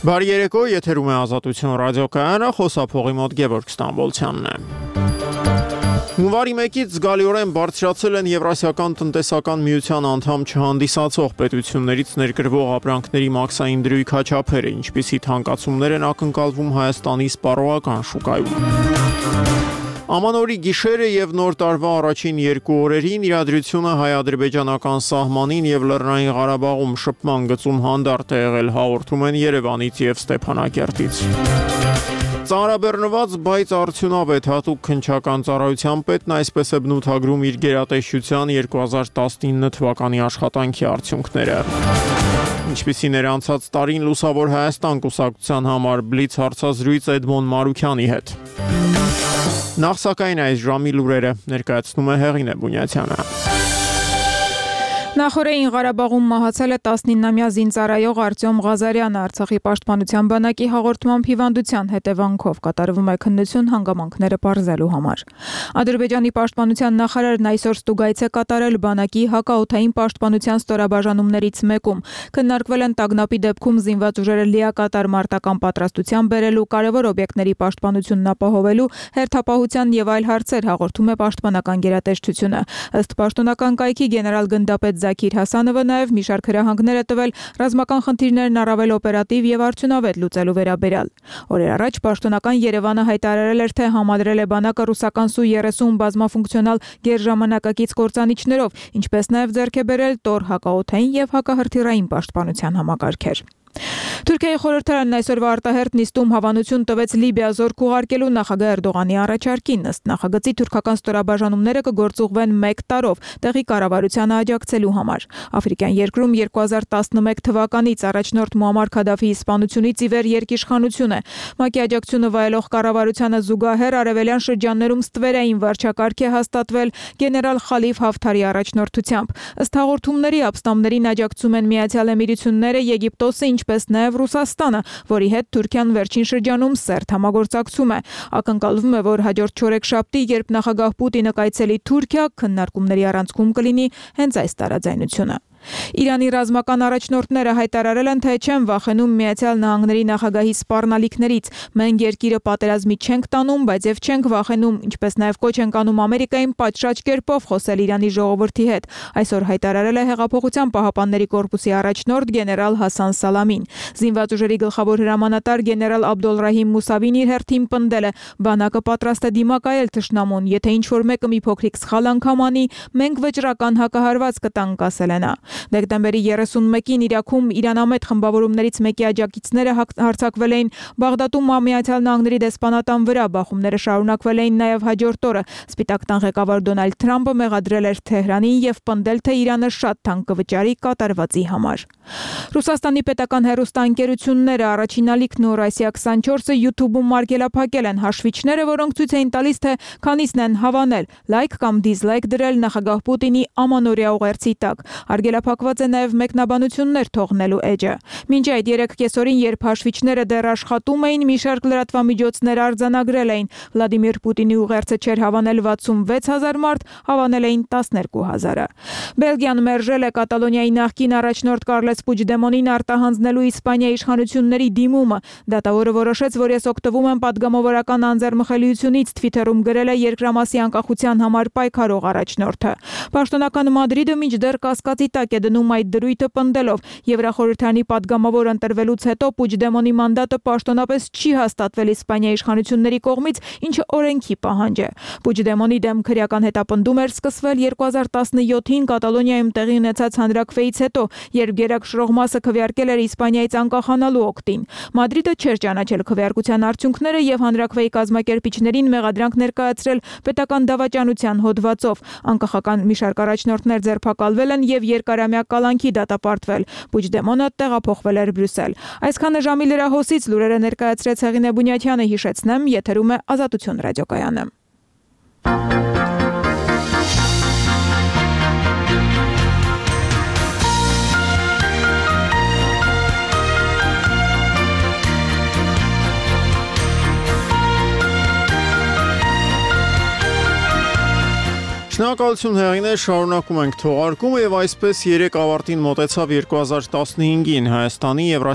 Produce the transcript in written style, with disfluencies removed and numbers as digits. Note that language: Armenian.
Բարի երեկո, եթերում է Ազատություն ռադիոկայանը, խոսափողի մոտ Գևորգ Ստամբոլցյանն է։ Հունվարի 1-ից զգալիորեն բարձրացել են Եվրասիական տնտեսական միության անդամ չհանդիսացող պետություններից ներկրվող ապրանքների մաքսային դրույթ չափերը, ինչպիսի թանկացումներ են ակնկալվում Հայաստանի սպառողական շուկայում։ Ամանորի գիշերը եւ նոր տարվա առաջին 2 օրերին իրադրությունը հայ-ադրբեջանական սահմանին եւ Լեռնային Ղարաբաղում շփման գծում հանդարտ է եղել, հաղորդում են Երևանից եւ Ստեփանակերտից։ Ծանրաբեռնված, բայց արդյունավետ հատուկ քննչական ծառայության պետն այսպես է բնութագրում իր գերատեսչության 2019 թվականի աշխատանքի արդյունքները։ Ինչպիսին էր անցած տարին Լուսավոր Հայաստան կուսակցության համար բլից հարցազրույց Էդմոն Մարուքյանի հետ։ Նախ սակայն այս ժամի լուրերը ներկայացնում է Հեղինե Բունյացյանը։ Նախորդին Ղարաբաղում մահացել է 19-ամյա զինծառայող Արտյոմ Ղազարյանը, Արցախի պաշտպանության բանակի հաղորդմամբ հիվանդության հետևանքով կատարվում է քննություն հանգամանքները պարզելու համար։ Ադրբեջանի պաշտպանության նախարարն այսօր ստուգայց է կատարել բանակի հակաօդային պաշտպանության ստորաբաժանումներից մեկում։ Քննարկվել են տագնապի դեպքում զինված ուժերը լիակատար մարտական պատրաստության բերելու, կարևոր օբյեկտների պաշտպանությունն ապահովելու, հերթապահության եւ այլ հարցեր, հաղորդում է պաշտպանական գերատեսչությունը։ Ըստ պաշտոնական կայքի գեներալ գնդապետ Զաքիր Հասանովը նաև մի շարք հրահանգներ է տվել ռազմական խնդիրներն առավել օպերատիվ եւ արդյունավետ լուծելու վերաբերյալ։ Օրեր առաջ պաշտոնական Երևանը հայտարարել էր, թե համադրել է բանակը ռուսական Սու-30 բազմաֆունկցիոնալ գերժամանակակից կործանիչներով, ինչպես նաև ձեռք է բերել Տոր հակաօդային եւ հակահրթիռային պաշտպանության համակարգեր։ Թուրքիայի խորհրդարանն այսօրվա արտահերթ նիստում հավանություն տվեց Լիբիա զորք ուղարկելու նախագահ Էրդողանի առաջարկին։ Ըստ նախագծի թուրքական ստորաբաժանումները կգործուղվեն 1 տարով տեղի կառավարությանը աջակցելու համար։ Աֆրիկյան երկրում 2011 թվականից առաջնորդ Մուամմար Քադաֆիի սպանությունից ի վեր երկիշխանություն է։ ՄԱԿ-ի աջակցությունը վայելող կառավարությանը զուգահեռ արևելյան շրջաններում ստվերային վարչակարգ է հաստատվել գեներալ Խալիֆ Հաֆթարի առաջնորդությամբ։ Ըստ հաղորդումների ապստամբներին աջակցում են Միացյալ Էմիրությունները, Եգիպտոսը, ինչպես նաև Ռուսաստանը, որի հետ Թուրքիան վերջին շրջանում սերտ համագործակցում է։ Ակնկալվում է, որ հաջորդ չորեքշաբթի, երբ նախագահ Պուտինը կայցելի Թուրքիա, քննարկումների առանցքում կլինի հենց այս տարաձայնությունը։ Իրանի ռազմական առաջնորդները հայտարարել են, թե չեն վախենում Միացյալ Նահանգների նախագահի սպառնալիքներից։ Մենք երկիրը պատերազմի չենք տանում, բայց եւ չենք վախենում, ինչպես նաև կոչ ենք անում Ամերիկային պատշաճ կերպով խոսել Իրանի ժողովրդի հետ։ Այսօր հայտարարել է Հեղափոխության պահապանների կորպուսի առաջնորդ գեներալ Հասան Սալամին։ Զինված ուժերի գլխավոր հրամանատար գեներալ Աբդոլրահիմ Մուսավին իր հերթին պնդել է. բանակը պատրաստ է դիմակայել թշնամուն, եթե ինչ-որ մեկը մի փոքրիկ սխալ անգամ անի, մենք վճռական հակահարված կտանք, ասել է նա։ Դեկտեմբերի 31-ին Իրաքում իրանամետ խմբավորումներից մեկի աջակիցները հարձակվել էին Բաղդադում Միացյալ Նահանգների դեսպանատան վրա, բախումները շարունակվել էին նաև հաջորդ օրը։ Սպիտակ տան ղեկավար Դոնալդ Թրամփը մեղադրել էր Թեհրանին եւ պնդել, թե Իրանը շատ թանկ կվճարի կատարվածի համար։ Ռուսաստանի պետական հեռուստաընկերությունները առաջին ալիքն ու Ռոսիա 24-ը YouTube-ում մարգելափակել են հաշվիչները, որոնք ցույց էին տալիս, թե քանիսն են հավանել, լայք կամ դիզլայք դրել նախագահ Պուտինի ամանորյա ուղերձի տակ։ Արգելափակված է նաև մեկնաբանություններ թողնելու էջը։ Մինչ այդ 3 կեսօրին, երբ հաշվիչները դեռ աշխատում էին, մի շարք լրատվամիջոցներ արձանագրել էին. Վլադիմիր Պուտինի ուղերձը չէր հավանել 66,000 մարդ, հավանել էին 12,000-ը։ Բելգիան մերժել է Կատալոնիայի նախկին առաջնորդ Կարլես Պուջդեմոնին արտահանձնելու Իսպանիայի իշխանությունների դիմումը։ Դատավորը որոշեց, որ ես օգտվում եմ պատգամավորական անձեռմխելիությունից, Twitter-ում գրել է երկրամասի անկախության համար պայքարող առաջնորդը։ Պաշտոնական Մադրիդը մինչդեռ կասկածի տակ է դնում այդ դրույթը, պնդելով. Եվրախորհրդանի պատգամավոր ընտրվելուց հետո Պուջդեմոնի մանդատը պաշտոնապես չի հաստատվել Իսպանիայի իշխանությունների կողմից, ինչը օրենքի պահանջ է։ Պուջդեմոնի դեմ քրեական հետապնդում էր սկսվել 2017-ին Կատալոնիայում տեղի ունեցած հանրաքվեից հետո, երբ գերակշռող մասը քվեարկել էր Իսպանիայից անկախանալու օգտին։ Մադրիդը չէր ճանաչել քվեարկության արդյունքները եւ հանրաքվեի կազմակերպիչներին մեղադրանք ներկայացրել պետական դավաճանության հոդվածով։ Անկախական մի շարք առաջնորդներ ձերբակալվել են եւ երկարամյա կալանքի դատապարտվել։ Պուջդեմոնը տեղափոխվել էր Բրյուսել։ Այսքանը ժամի լրահոսից լուրերը ներկայացրեց Հեղինե Բունյացյանը, հիշեցնեմ, եթերում է Ազատություն ռադիոկայանը։ Շնորհակալություն Հեղինե, շարունակում ենք թողարկումը եւ այսպես 3 ավարտին մոտեցավ 2015-ին Հայաստանի եւ